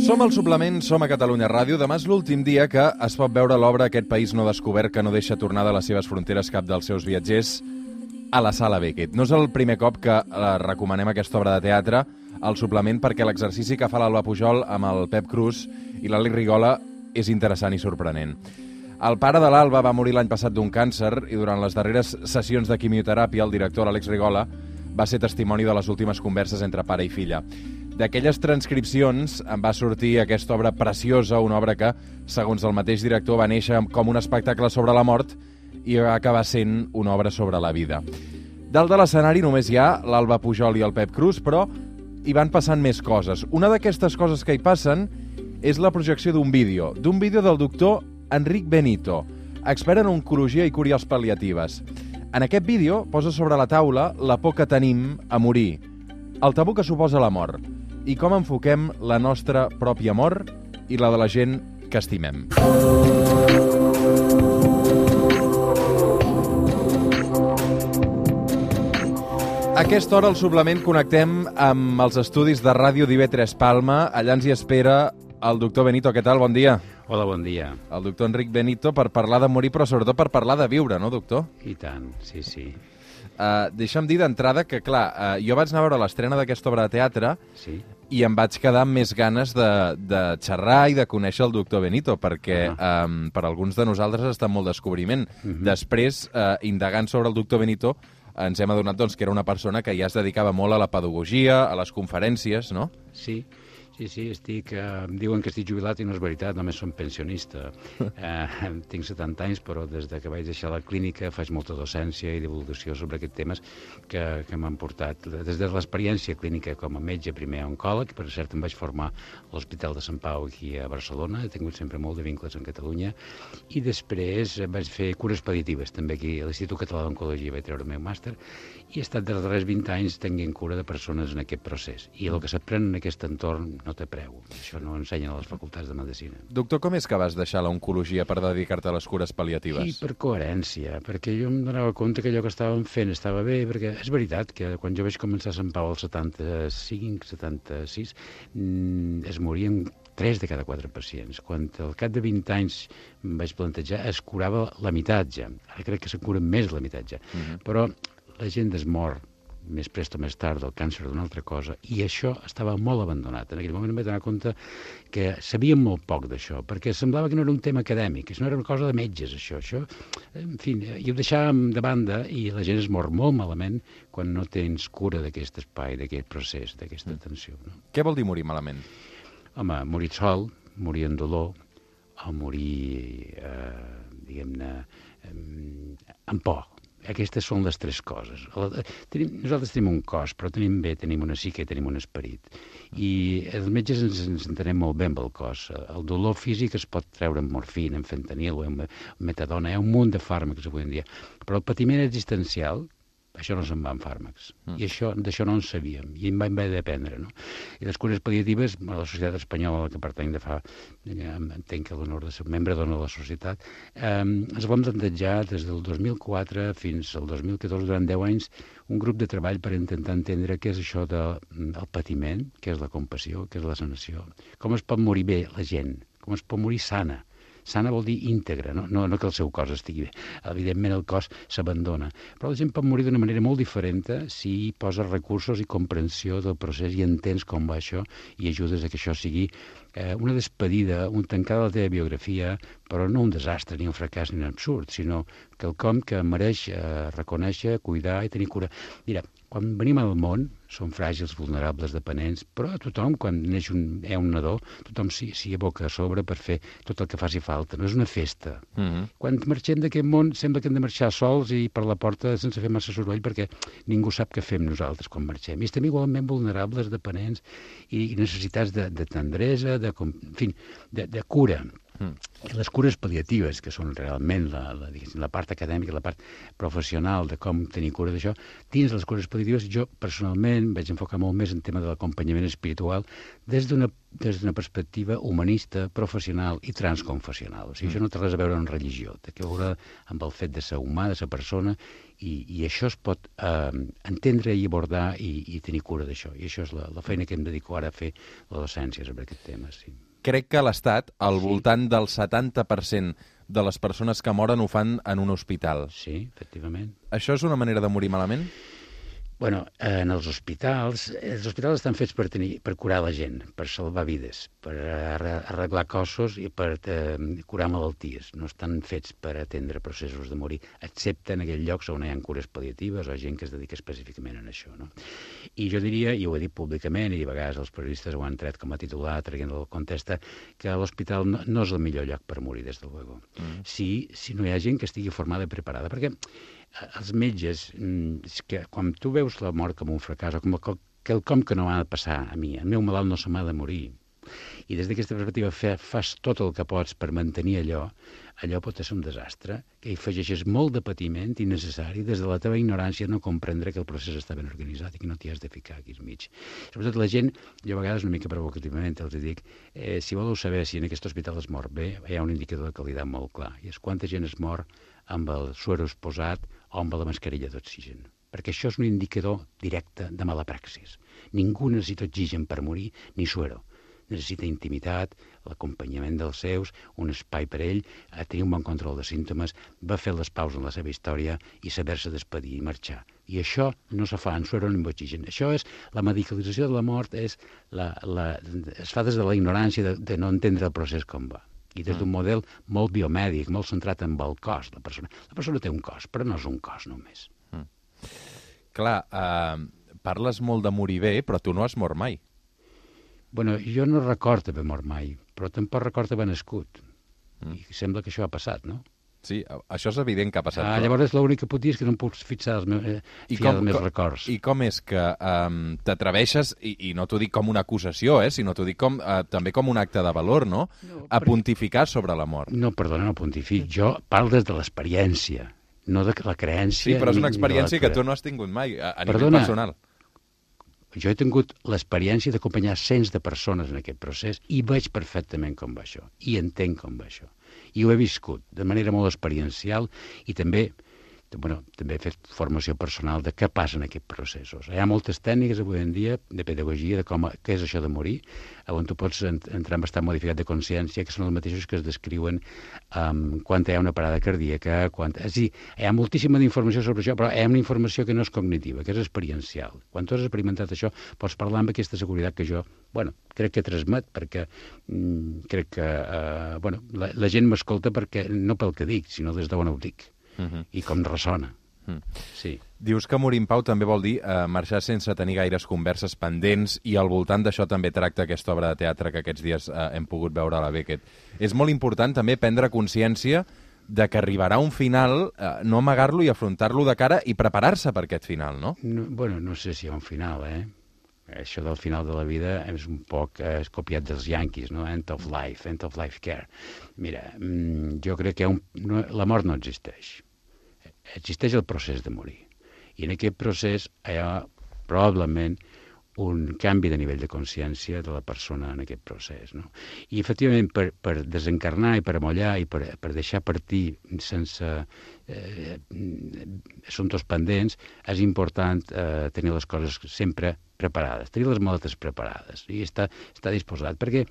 Som al Suplement, som a Catalunya Ràdio. Demà és l'últim dia que es pot veure l'obra Aquest país no descobert, que no deixa tornar de les seves fronteres cap dels seus viatgers, a la Sala Beckett. No és el primer cop que recomanem aquesta obra de teatre al Suplement, perquè l'exercici que fa l'Alba Pujol amb el Pep Cruz i l'Àlex Rigola és interessant i sorprenent. El pare de l'Alba va morir l'any passat d'un càncer i durant les darreres sessions de quimioteràpia el director, l'Àlex Rigola, va ser testimoni de les últimes converses entre pare i filla. D'aquelles transcripcions en va sortir aquesta obra preciosa, una obra que, segons el mateix director, va néixer com un espectacle sobre la mort i va acabar sent una obra sobre la vida. Dalt de l'escenari només hi ha l'Alba Pujol i el Pep Cruz, però hi van passant més coses. Una d'aquestes coses que hi passen és la projecció d'un vídeo del doctor Enric Benito, expert en oncologia i cures pal·liatives. En aquest vídeo posa sobre la taula la por que tenim a morir, el tabú que suposa la mort, i com enfoquem la nostra pròpia mort i la de la gent que estimem. A aquesta hora, al Suplement, connectem amb els estudis de Ràdio d'IV3 Palma. Allà ens hi espera el doctor Benito. Què tal? Bon dia. Hola, bon dia. El doctor Enric Benito per parlar de morir, però sobretot per parlar de viure, no, doctor? I tant, sí, sí. Deixa'm dir d'entrada que, clar, jo vaig anar a veure l'estrena d'aquesta obra de teatre Sí. i em vaig quedar amb més ganes de xerrar i de conèixer el doctor Benito, perquè per alguns de nosaltres ha estat molt descobriment. Després, indagant sobre el doctor Benito, ens hem adonat doncs, que era una persona que ja es dedicava molt a la pedagogia, a les conferències, no? Sí, em diuen que estic jubilat i no és veritat, només som pensionista. Tinc 70 anys, però des que vaig deixar la clínica faig molta docència i divulgació sobre aquests temes que m'han portat. Des de l'experiència clínica com a metge, primer oncòleg, per cert em vaig formar a l'Hospital de Sant Pau aquí a Barcelona, he tingut sempre molt de vincles en Catalunya, i després vaig fer cures pal·liatives, també aquí a l'Institut Català d'Oncologia vaig treure el meu màster, i he estat dels darrers 20 anys tenint cura de persones en aquest procés. I el que s'aprèn en aquest entorn no té preu. Això no ensenyen a les facultats de Medicina. Doctor, com és que vas deixar l'oncologia per dedicar-te a les cures pal·liatives? I per coherència, perquè jo em donava compte que allò que estàvem fent estava bé, perquè és veritat que quan jo vaig començar a Sant Pau al 75, 76, es morien 3 de cada 4 pacients. Quan al cap de 20 anys em vaig plantejar, es curava la meitat ja. Ara crec que se'n cura més la meitat ja. Però la gent es mor més prest o més tard del càncer d'una altra cosa, i això estava molt abandonat. En aquell moment em vaig donar compte que sabíem molt poc d'això, perquè semblava que no era un tema acadèmic, que no era una cosa de metges, això. En fi, i ho deixàvem de banda, i la gent es mor molt malament quan no tens cura d'aquest espai, d'aquest procés, d'aquesta atenció. No? Què vol dir morir malament? Home, morir sol, morir en dolor, o morir, diguem-ne, amb por. Aquestes són les 3 coses. Nosaltres tenim un cos, però tenim una psique, tenim un esperit. I els metges ens entenem molt bé amb el cos. El dolor físic es pot treure amb morfina, amb fentanil, amb metadona, hi ha un munt de fàrmacs avui en dia. Però el patiment existencial, això no se'n va amb fàrmacs. I d'això no en sabíem, i em vaig haver d'aprendre, no? I les cures pal·liatives, a la societat espanyola, a la que pertany de fa, entenc que l'honor de ser membre de la societat, ens vam plantejar des del 2004 fins al 2014, durant 10 anys, un grup de treball per intentar entendre què és això del patiment, què és la compassió, què és la sanació, com es pot morir bé la gent, com es pot morir sana. Sana vol dir íntegra, no que el seu cos estigui bé. Evidentment el cos s'abandona. Però la gent pot morir d'una manera molt diferent si poses recursos i comprensió del procés i entens com va això i ajudes a que això sigui una despedida, un tancar de la teva biografia, però no un desastre, ni un fracàs, ni un absurd, sinó quelcom que mereix reconèixer, cuidar i tenir cura. Mira, quan venim al món, som fràgils, vulnerables, dependents, però tothom, quan neix un nadó, tothom s'hi aboca a sobre per fer tot el que faci falta. No és una festa. Quan marxem d'aquest món, sembla que hem de marxar sols i per la porta sense fer massa soroll, perquè ningú sap què fem nosaltres quan marxem. I estem igualment vulnerables, dependents i necessitats de tendresa, de cura. I les cures pal·liatives, que són realment la part acadèmica, la part professional de com tenir cura d'això, dins les cures pal·liatives jo personalment vaig enfocar molt més en tema de l'acompanyament espiritual des d'una perspectiva humanista, professional i transconfessional. O sigui, això no té res a veure amb religió, té a veure amb el fet de ser humà, de ser persona, i això es pot entendre i abordar i tenir cura d'això. I això és la feina que em dedico ara a fer la docència sobre aquest tema, sí. Crec que a l'Estat, al voltant del 70% de les persones que moren ho fan en un hospital. Sí, efectivament. Això és una manera de morir malament? Bueno, en els hospitals estan fets per curar la gent, per salvar vides, per arreglar cossos i per curar malalties. No estan fets per atendre processos de morir, excepte en aquells llocs on hi ha cures pal·liatives o gent que es dedica específicament a això, no? I jo diria, i ho he dit públicament, i a vegades els periodistes ho han tret com a titular, traient del contexte, que l'hospital no és el millor lloc per morir, des de luego. Si no hi ha gent que estigui formada i preparada, perquè els metges, que quan tu veus la mort com un fracàs o com quelcom que no m'ha de passar a mi, el meu malalt no se m'ha de morir, i des d'aquesta perspectiva fas tot el que pots per mantenir allò pot ser un desastre, que hi afegeixes molt de patiment innecessari des de la teva ignorància no comprendre que el procés està ben organitzat i que no t'hi has de ficar aquí al mig. Sobretot la gent, jo a vegades una mica provocativament els dic, si voleu saber si en aquest hospital es mor bé, hi ha un indicador de qualitat molt clar, i és quanta gent es mor amb el suero posat o amb la mascarilla d'oxigen. Perquè això és un indicador directe de mala praxis. Ningú necessita oxigen per morir, ni suero. Necessita intimitat, l'acompanyament dels seus, un espai per ell, tenir un bon control de símptomes, va fer les paus en la seva història i saber-se despedir i marxar. I això no se fa en suero ni amb oxigen. Això és la medicalització de la mort, es fa des de la ignorància de no entendre el procés com va. I des d'un model molt biomèdic, molt centrat en el cos. La persona té un cos, però no és un cos només. Clar, parles molt de morir bé, però tu no has mort mai. Bueno, jo no recordo haver mort mai, però tampoc recordo haver nascut. I sembla que això ha passat, no? Sí, això és evident que ha passat. Llavors l'únic que puc dir és que no em puc fiar els meus records. I com és que t'atreveixes, i no t'ho dic com una acusació, sinó t'ho dic també com un acte de valor, no? A pontificar sobre la mort. No, perdona, no pontific. Jo parlo des de l'experiència, no de la creència. Sí, però és una experiència que tu no has tingut mai, a nivell personal. Jo he tingut l'experiència d'acompanyar cents de persones en aquest procés i veig perfectament com va això, i entenc com va això. I ho he viscut de manera molt experiencial i també he fet formació personal de què passa en aquests processos. Hi ha moltes tècniques avui en dia de pedagogia de què és això de morir, on tu pots entrar en estat modificat de consciència, que són els mateixos que es descriuen quan hi ha una parada cardíaca. És a dir, hi ha moltíssima informació sobre això, però hi ha una informació que no és cognitiva, que és experiencial. Quan tu has experimentat això, pots parlar amb aquesta seguretat que jo, crec que transmet, perquè crec que la gent m'escolta perquè no pel que dic, sinó des d'on ho dic. I com ressona. Sí. Dius que morir en pau també vol dir marxar sense tenir gaires converses pendents, i al voltant d'això també tracta aquesta obra de teatre que aquests dies hem pogut veure a la Beckett. És molt important també prendre consciència de que arribarà un final, no amagar-lo i afrontar-lo de cara i preparar-se per aquest final, no? No sé si hi ha un final, Això del final de la vida és un poc copiat dels Yankees, no? End of life care. Mira, jo crec que la mort no existeix. Existeix el procés de morir. I en aquest procés hi ha probablement un canvi de nivell de consciència de la persona en aquest procés, no? I, efectivament, per desencarnar i per amollar i per deixar partir sense assumptes pendents, és important tenir les coses sempre preparades, tenir les maletes preparades i estar disposat, perquè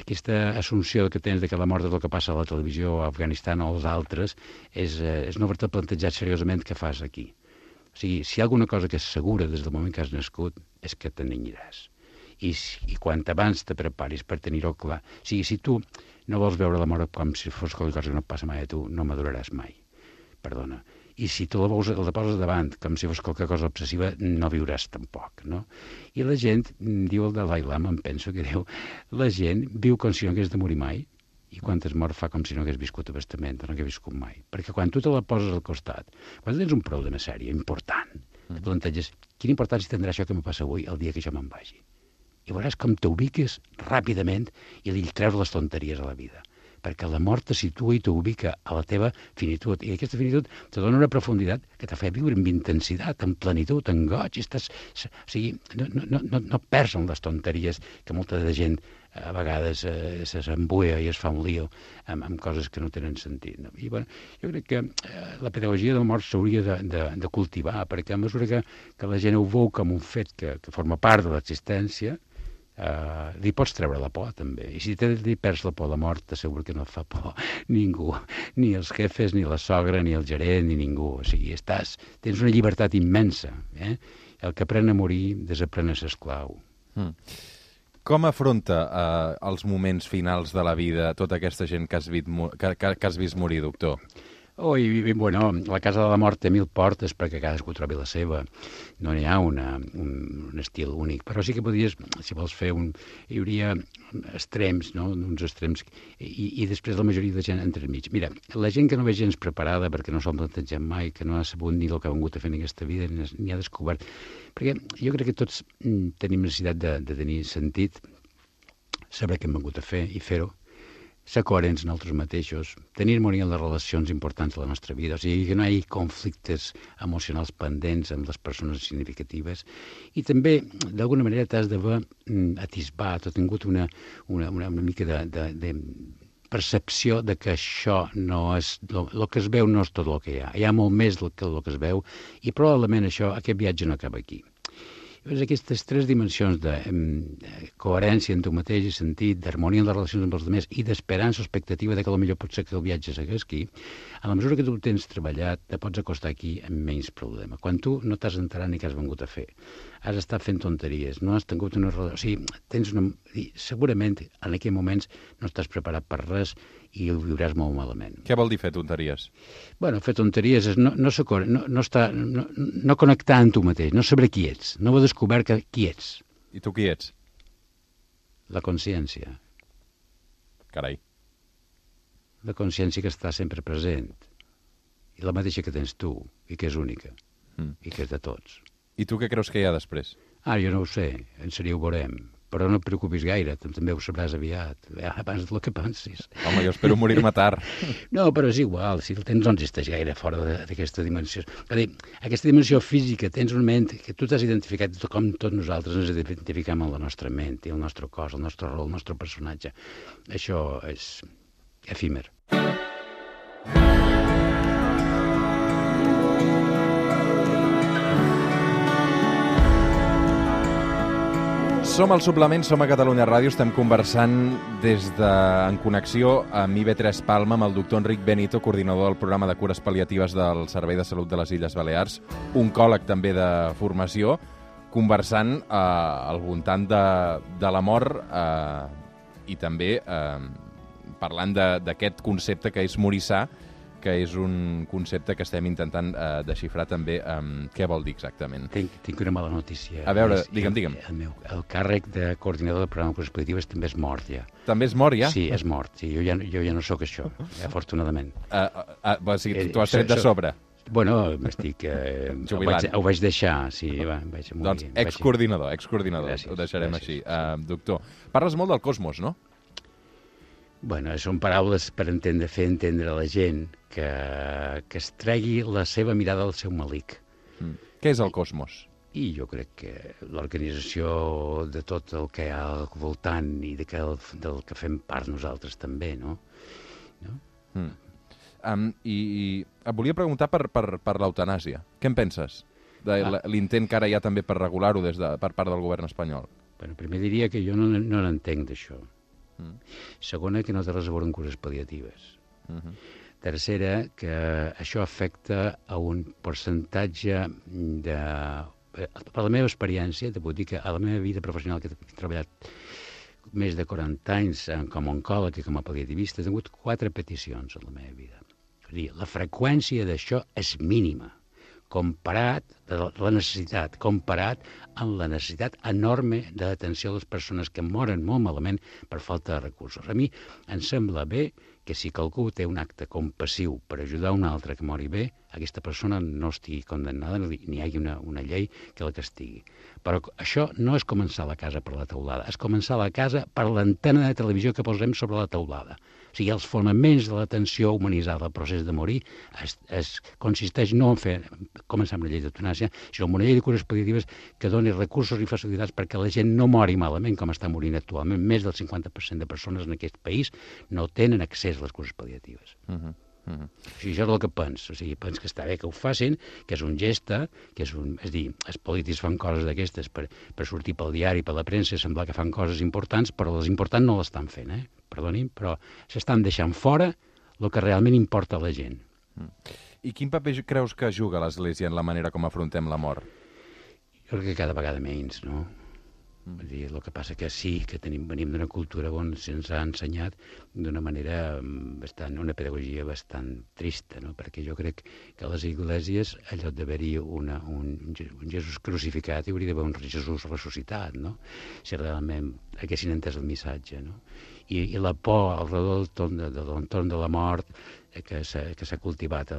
aquesta assumpció que tens de que la mort és el que passa a la televisió a Afganistan o als altres és no haver-te plantejat seriosament què fas aquí. O sigui, si hi ha alguna cosa que és segura des del moment que has nascut, és que te n'aniràs. I quan abans te preparis per tenir-ho clar, o sigui, si tu no vols veure la mort com si fos qualsevol cosa que no passa mai a tu, no maduraràs mai. Perdona. I si tu la poses davant com si fos qualque cosa obsessiva, no viuràs tampoc, no? I la gent, diu el Dalai Lama, em penso que diu, la gent viu com si no hagués de morir mai, i quan es mor fa com si no hagués viscut a bastament, o no hagués viscut mai. Perquè quan tu te la poses al costat, quan tens un problema sèrio, important, te planteges, quina importància tindrà això que me passa avui el dia que jo me'n vagi? i veuràs com t'ubiques ràpidament i li treus les tonteries a la vida. Perquè la mort te situa i t'ubica a la teva finitud. I aquesta finitud te dona una profunditat que te fa viure amb intensitat, amb plenitud, amb goig. O sigui, no perds en les tonteries que molta de gent a vegades s'embuia i es fa un lío amb coses que no tenen sentit. No? I bueno, jo crec que la pedagogia de la mort s'hauria de cultivar, perquè a mesura que la gent ho veu com un fet que forma part de l'existència, li pots treure la por, també. I si li perds la por a la mort, t'asseguro que no et fa por ningú, ni els jefes, ni la sogra, ni el gerent, ni ningú. O sigui, tens una llibertat immensa. El que aprèn a morir, desaprèn a ser esclau. Com afronta els moments finals de la vida tota aquesta gent que has vist morir, doctor? Bueno, la Casa de la Mort té 1000 portes perquè cadascú trobi la seva. No n'hi ha un estil únic. Però sí que podries, si vols fer hi hauria extrems, no? Uns extrems, i després la majoria de gent entremig. Mira, la gent que no ve gens preparada perquè no s'ho han plantejat mai, que no ha sabut ni el que ha vingut a fer en aquesta vida, ni ha descobert. Perquè jo crec que tots tenim necessitat de tenir sentit, saber què hem vingut a fer i fer-ho, ser coherents en nosaltres mateixos, tenir harmonia en les relacions importants de la nostra vida, o sigui, que no hi hagi conflictes emocionals pendents amb les persones significatives, i també, d'alguna manera, t'has d'haver atisbat o tingut una mica de percepció de que això no és... El que es veu no és tot el que hi ha. Hi ha molt més que el que es veu, i probablement aquest viatge no acaba aquí. Llavors, aquestes 3 dimensions de coherència en tu mateix i sentit, d'harmonia en les relacions amb els altres i d'esperança o expectativa de que potser pot ser que el viatge segueix aquí, a la mesura que tu tens treballat, te pots acostar aquí amb menys problema. Quan tu no t'has enterat ni què has vingut a fer, has estat fent tonteries, no has tingut una relació... O sigui, segurament en aquells moments no estàs preparat per res i ho viuràs molt malament. Què vol dir fer tonteries? Bueno, fer tonteries és no connectar amb tu mateix, no saber qui ets, no haver descobert qui ets. I tu qui ets? La consciència. Carai. La consciència que està sempre present. I la mateixa que tens tu, i que és única, i que és de tots. I tu què creus que hi ha després? Jo no ho sé, en sèrio ho veurem. Però no et preocupis gaire, també ho sabràs aviat, abans del que pensis. Home, jo espero morir-me tard. No, però és igual, si el tens no existeix gaire fora d'aquesta dimensió. És a dir, aquesta dimensió física, tens una ment que tu t'has identificat com tots nosaltres ens identificam amb la nostra ment, i el nostre cos, el nostre rol, el nostre personatge. Això és efímer. Som al Suplement, som a Catalunya Ràdio, estem conversant en connexió amb IB3 Palma amb el doctor Enric Benito, coordinador del programa de cures pal·liatives del Servei de Salut de les Illes Balears, oncòleg també de formació, conversant al voltant de la mort i també parlant d'aquest concepte que és morir sa, que és un concepte que estem intentant desxifrar també què vol dir exactament. Tinc una mala notícia. A veure, digue'm. El càrrec de coordinador del programa de cures pal·liatives també és mort, ja. També és mort, ja? Sí, és mort. Sí, jo ja no sóc això, afortunadament. O sigui, tu has tret de sobre. Bueno, m'estic... jubilant. Ho vaig deixar, sí. Vaig morir. Doncs excoordinador, gràcies, ho deixarem gràcies, així. Doctor, parles molt del cosmos, no? Bueno, són paraules per fer entendre a la gent que es tregui la seva mirada al seu malic. Què és el cosmos? I jo crec que l'organització de tot el que hi ha al voltant i del que fem part nosaltres també, no? I et volia preguntar per l'eutanàsia. Què en penses? De l'intent que ara hi ha també per regular-ho per part del govern espanyol. Bueno, primer diria que jo no n'entenc d'això. Segona, que no té res a veure amb cures pal·liatives. Tercera, que això afecta a un percentatge de... Per la meva experiència, te puc dir que a la meva vida professional, que he treballat més de 40 anys com a oncòleg i com a pal·liativista, he tingut 4 peticions a la meva vida. És a dir, la freqüència d'això és mínima, comparat amb la necessitat enorme d'atenció a les persones que moren molt malament per falta de recursos. A mi em sembla bé que si qualcú té un acte compassiu per ajudar un altre que mori bé, aquesta persona no estigui condemnada ni hi hagi una llei que la castigui. Però això no és començar la casa per la teulada, és començar la casa per l'antena de televisió que posem sobre la teulada. O sigui, els fonaments de l'atenció humanitzada al procés de morir consisteix no en començar amb una llei d'eutanàsia, sinó en una llei de cures pal·liatives que doni recursos i facilitats perquè la gent no mori malament com està morint actualment. Més del 50% de persones en aquest país no tenen accés a les cures pal·liatives. O sigui, això és el que penso. O sigui, penso que està bé que ho facin, que és un geste, és dir, els polítics fan coses d'aquestes per sortir pel diari, per la premsa, semblar que fan coses importants, però les importants no l'estan fent, perdonin, però s'estan deixant fora el que realment importa a la gent. I quin paper creus que juga l'Església en la manera com afrontem la mort? Jo crec que cada vegada menys, no? Vull dir, el que passa que sí, que venim d'una cultura on se'ns ha ensenyat d'una manera una pedagogia bastant trista, no? Perquè jo crec que a les esglésies, en lloc d'haver-hi un Jesús crucificat, hi hauria d'haver un Jesús ressuscitat, no? Si realment haguessin entès el missatge, no? I la por al redol de l'entorn de la mort que s'ha cultivat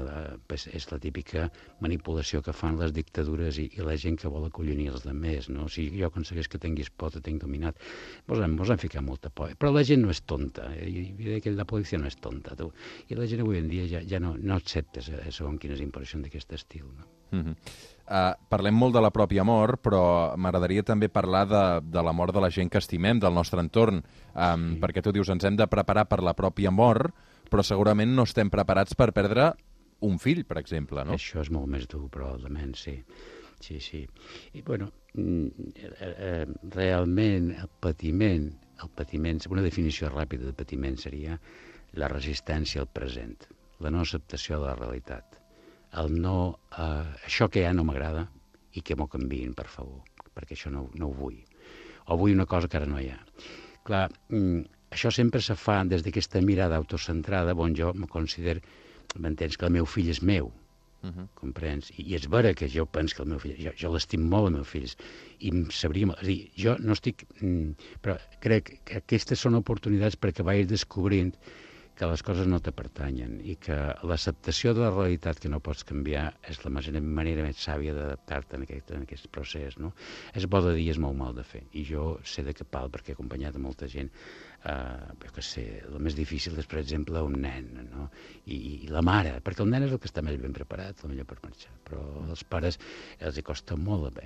és la típica manipulació que fan les dictadures i la gent que vol acollonir els altres, no? O sigui, jo aconsegueix que tinguis por, te tinc dominat. Mos han ficat molta por. Però la gent no és tonta. La policia no és tonta, tu. I la gent avui en dia ja no accepta segons quines impressions d'aquest estil, no? Parlem molt de la pròpia mort, però m'agradaria també parlar de la mort de la gent que estimem, del nostre entorn, perquè tu dius, ens hem de preparar per la pròpia mort, però segurament no estem preparats per perdre un fill, per exemple, no? Això és molt més dur, probablement, sí. Sí. I, bueno, realment el patiment, una definició ràpida de patiment seria la resistència al present, la no acceptació de la realitat. Això que ja no m'agrada i que m'ho canviïn, per favor, perquè això no ho vull. O vull una cosa que ara no hi ha. Clar, això sempre se fa des d'aquesta mirada autocentrada on jo me considero, m'entens, que el meu fill és meu, comprens? I és vera que jo penso que el meu fill, jo l'estim molt, el meu fill, i em sabria... És a dir, jo no estic... Però crec que aquestes són oportunitats perquè vaig descobrint que les coses no te pertanyen i que l'acceptació de la realitat que no pots canviar és la manera més sàvia d'adaptar-te en aquest procés, no? És bo de dir, és molt mal de fer. I jo sé de què pal, perquè he acompanyat a molta gent. Jo què sé, el més difícil és, per exemple, un nen, no? I la mare, perquè el nen és el que està més ben preparat, potser per marxar, però als pares els hi costa molt.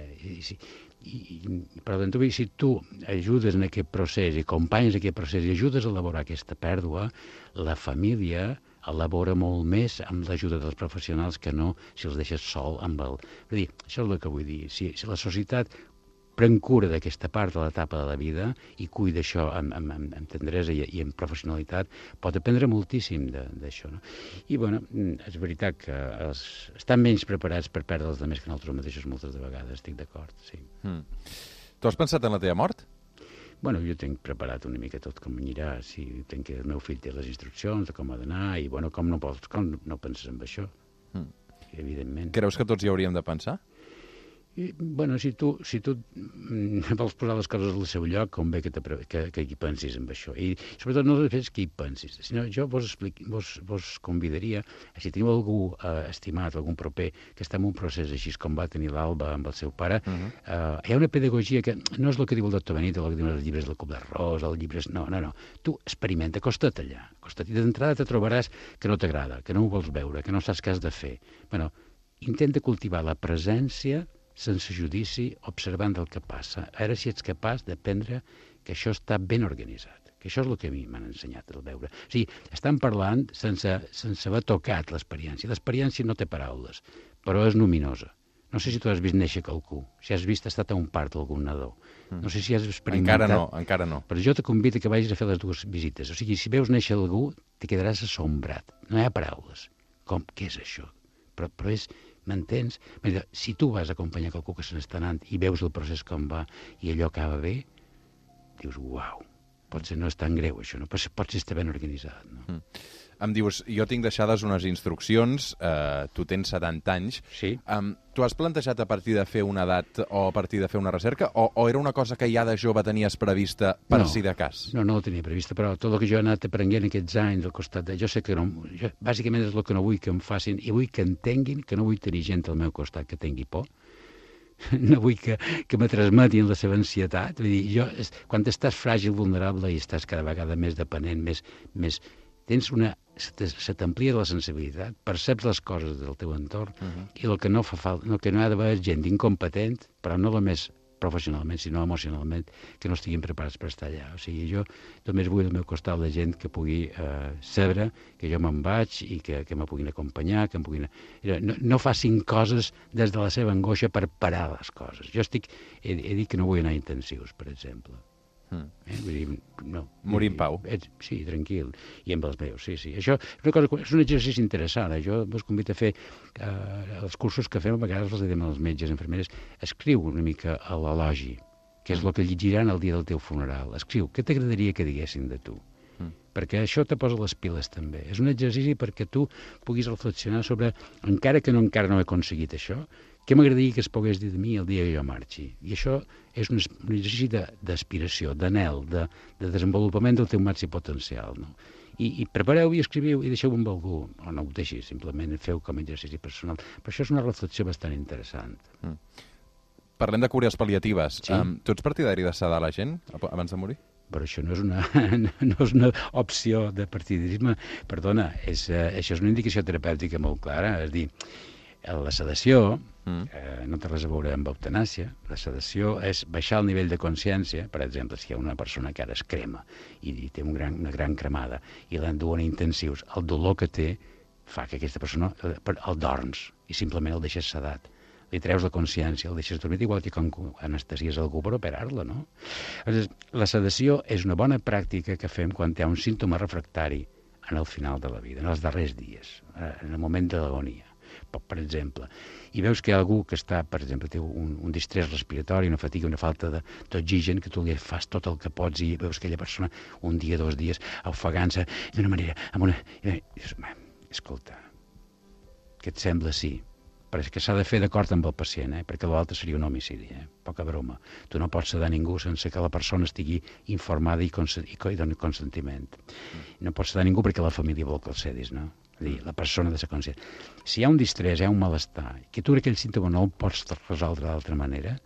Però si tu ajudes en aquest procés i acompanyes aquest procés i ajudes a elaborar aquesta pèrdua, la família elabora molt més amb l'ajuda dels professionals que no si els deixes sol amb el... Vull dir, això és el que vull dir. Si la societat pren cura d'aquesta part de l'etapa de la vida i cuida això amb tendresa i amb professionalitat, pot aprendre moltíssim d'això, no? I, bueno, és veritat que estan menys preparats per perdre els altres que nosaltres mateixos moltes de vegades, estic d'acord, sí. Tu has pensat en la teva mort? Bueno, jo tinc preparat una mica tot com anirà, sí, tenc que el meu fill té les instruccions de com ha d'anar i, bueno, com no penses en això, evidentment. Creus que tots hi hauríem de pensar? I, bueno, si tu vols posar les coses al seu lloc, convé que hi pensis en això. I sobretot no després que hi pensis, sinó jo vos convidaria, si teniu algú estimat, algun proper, que està en un procés així com va tenir l'Alba amb el seu pare, hi ha una pedagogia que no és el que diu el doctor Benito, el que diuen els llibres del Club d'Arròs, els llibres... No. Tu experimenta, acosta't allà. I d'entrada te trobaràs que no t'agrada, que no ho vols veure, que no saps què has de fer. Bueno, intenta cultivar la presència sense judici, observant el que passa. Ara si ets capaç d'aprendre que això està ben organitzat, que això és el que a mi m'han ensenyat a veure. O sigui, estan parlant sense haver tocat l'experiència. L'experiència no té paraules, però és luminosa. No sé si tu has vist néixer qualcú, si has vist estat a un part d'algun nadó. No sé si has experimentat... Encara no. Però jo te convido que vagis a fer les dues visites. O sigui, si veus néixer algú, te quedaràs assombrat. No hi ha paraules. Què és això? Però és... M'entens? Si tu vas acompanyar qualcú que se n'està anant i veus el procés com va i allò acaba bé, dius, uau, potser no és tan greu, això, no? Potser està ben organitzat, no? Em dius, jo tinc deixades unes instruccions, tu tens 70 anys. Sí. Tu has plantejat a partir de fer una edat o a partir de fer una recerca, o era una cosa que ja de jove tenies prevista per si de cas? No ho tenia prevista, però tot el que jo he anat aprenent aquests anys al costat de... Jo sé que no... Bàsicament és el que no vull que em facin, i vull que entenguin que no vull tenir gent al meu costat que tingui por. No vull que me transmetin la seva ansietat. Vull dir, quan estàs fràgil, vulnerable i estàs cada vegada més dependent, més tens se t'amplia la sensibilitat, perceps les coses del teu entorn, i el que no fa falta, el que no ha d'haver és gent incompetent, però no només professionalment, sinó emocionalment, que no estiguin preparats per estar allà. O sigui, jo només vull al meu costat la gent que pugui saber que jo me'n vaig i que me puguin acompanyar, que em puguin... No facin coses des de la seva angoixa per parar les coses. Jo he dit que no vull anar a intensius, per exemple. Vull dir, no. Morir en pau. Sí, tranquil. I amb els meus, sí. Això és un exercici interessant. Jo vos convido a fer els cursos que fem, a vegades els diem als metges, infermeres, escriu una mica a l'elogi, que és el que llegiran el dia del teu funeral. Escriu, què t'agradaria que diguessin de tu? Perquè això te posa les piles també. És un exercici perquè tu puguis reflexionar sobre, encara no he aconseguit això, què m'agradaria que es pogués dir de mi el dia que jo marxi? I això és un exercici d'aspiració, d'anhel, de desenvolupament del teu màxim potencial. No? I prepareu i escriviu i deixeu-ho amb algú. O no ho deixis, simplement feu com a exercici personal. Però això és una reflexió bastant interessant. Parlem de cures pal·liatives. Sí. Tu ets partidari de sedar la gent abans de morir? Però això no és una opció de partidarisme. Perdona, això és una indicació terapèutica molt clara. És a dir, la sedació no té res a veure amb eutanàsia. La sedació és baixar el nivell de consciència. Per exemple, si hi ha una persona que ara es crema i té una gran cremada i l'enduen a intensius, el dolor que té fa que aquesta persona el dorms i simplement el deixes sedat. Li treus la consciència, el deixes dormir, igual que quan anestesies algú per operar-lo, no? Llavors, la sedació és una bona pràctica que fem quan hi ha un símptoma refractari en el final de la vida, en els darrers dies, en el moment de l'agonia. Per exemple, i veus que hi ha algú que està, per exemple, té un distrés respiratori, una fatiga, una falta d'oxigen, que tu li fas tot el que pots i veus aquella persona un dia, 2 dies, ofegant-se d'una manera, escolta, què et sembla si? Perquè s'ha de fer d'acord amb el pacient, perquè l'altre seria un homicidi, poca broma. Tu no pots sedar ningú sense que la persona estigui informada i doni consentiment. No pots sedar ningú perquè la família vol que el cedis, no? És a dir, la persona de ser conscient. Si hi ha un distrès, hi ha un malestar, que tu aquell símptoma no el pots resoldre d'altra manera,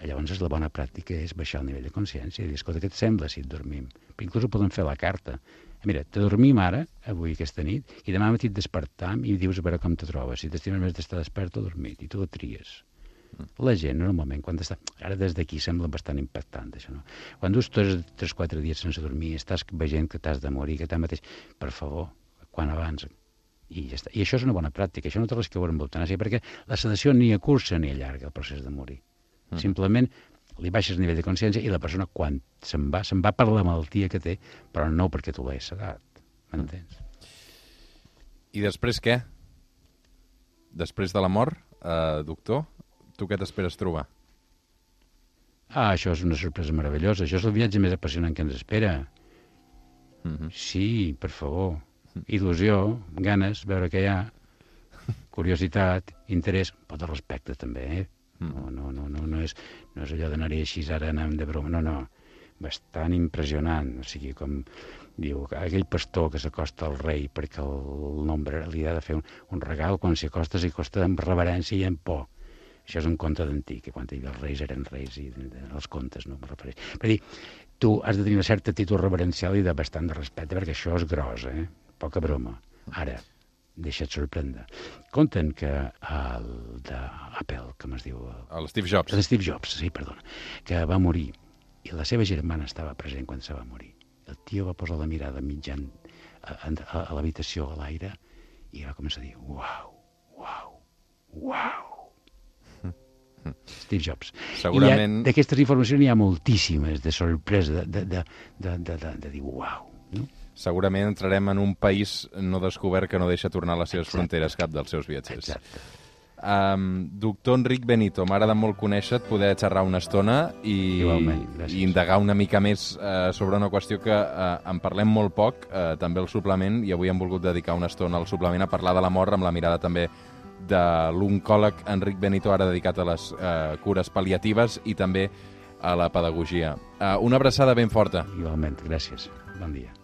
llavors la bona pràctica és baixar el nivell de consciència i dir, escolta, què et sembla si et dormim? Però inclús ho podem fer a la carta. Mira, te dormim ara, avui, aquesta nit, i demà matí et despertam i dius a veure com te trobes. Si t'estimes més d'estar despert o dormit, i tu la tries. La gent, normalment, quan està... Ara des d'aquí sembla bastant impactant, això, no? Quan dus 3-4 dies sense dormir, estàs veient que t'has de morir, que tanmateix, per favor, quan abans... I ja està. I això és una bona pràctica, això no té res que veure amb eutanàsia, perquè la sedació ni acurça ni allarga el procés de morir. Simplement li baixes el nivell de consciència i la persona, quan se'n va per la malaltia que té, però no perquè tu l'has sedat. M'entens? I després què? Després de la mort, doctor, tu què t'esperes trobar? Això és una sorpresa meravellosa. Això és el viatge més apassionant que ens espera. Sí, per favor. Il·lusió, ganes, veure què hi ha, curiositat, interès, però de respecte també, No és allò d'anar-hi així ara anant de broma, no, bastant impressionant, o sigui, com diu, aquell pastor que s'acosta al rei perquè el nombre li ha de fer un regal, quan s'hi acosta amb reverència i amb por. Això és un conte d'antic, que quan els reis eren reis i els contes, no me refereix. Per dir, tu has de tenir una certa actitud reverencial i de bastant de respecte, perquè això és gros, poca broma. Ara, deixa't sorprendre. Conten que el d'Apple, com es diu? El Steve Jobs. El Steve Jobs, sí, perdona. Que va morir, i la seva germana estava present quan se va morir. El tio va posar la mirada mitjan a l'habitació, a l'aire, i va començar a dir, uau, uau, uau. Steve Jobs. Segurament... I d'aquestes informacions hi ha moltíssimes de sorpresa, de dir, uau, no? Segurament entrarem en un país no descobert que no deixa tornar a les seves fronteres cap dels seus viatgers. Exacte. Doctor Enric Benito, m'ha agradat molt conèixer-te, poder xerrar una estona i indagar una mica més sobre una qüestió que en parlem molt poc, també el suplement, i avui hem volgut dedicar una estona al suplement a parlar de la mort amb la mirada també de l'oncòleg Enric Benito, ara dedicat a les cures pal·liatives i també a la pedagogia. Una abraçada ben forta. Igualment, gràcies. Bon dia.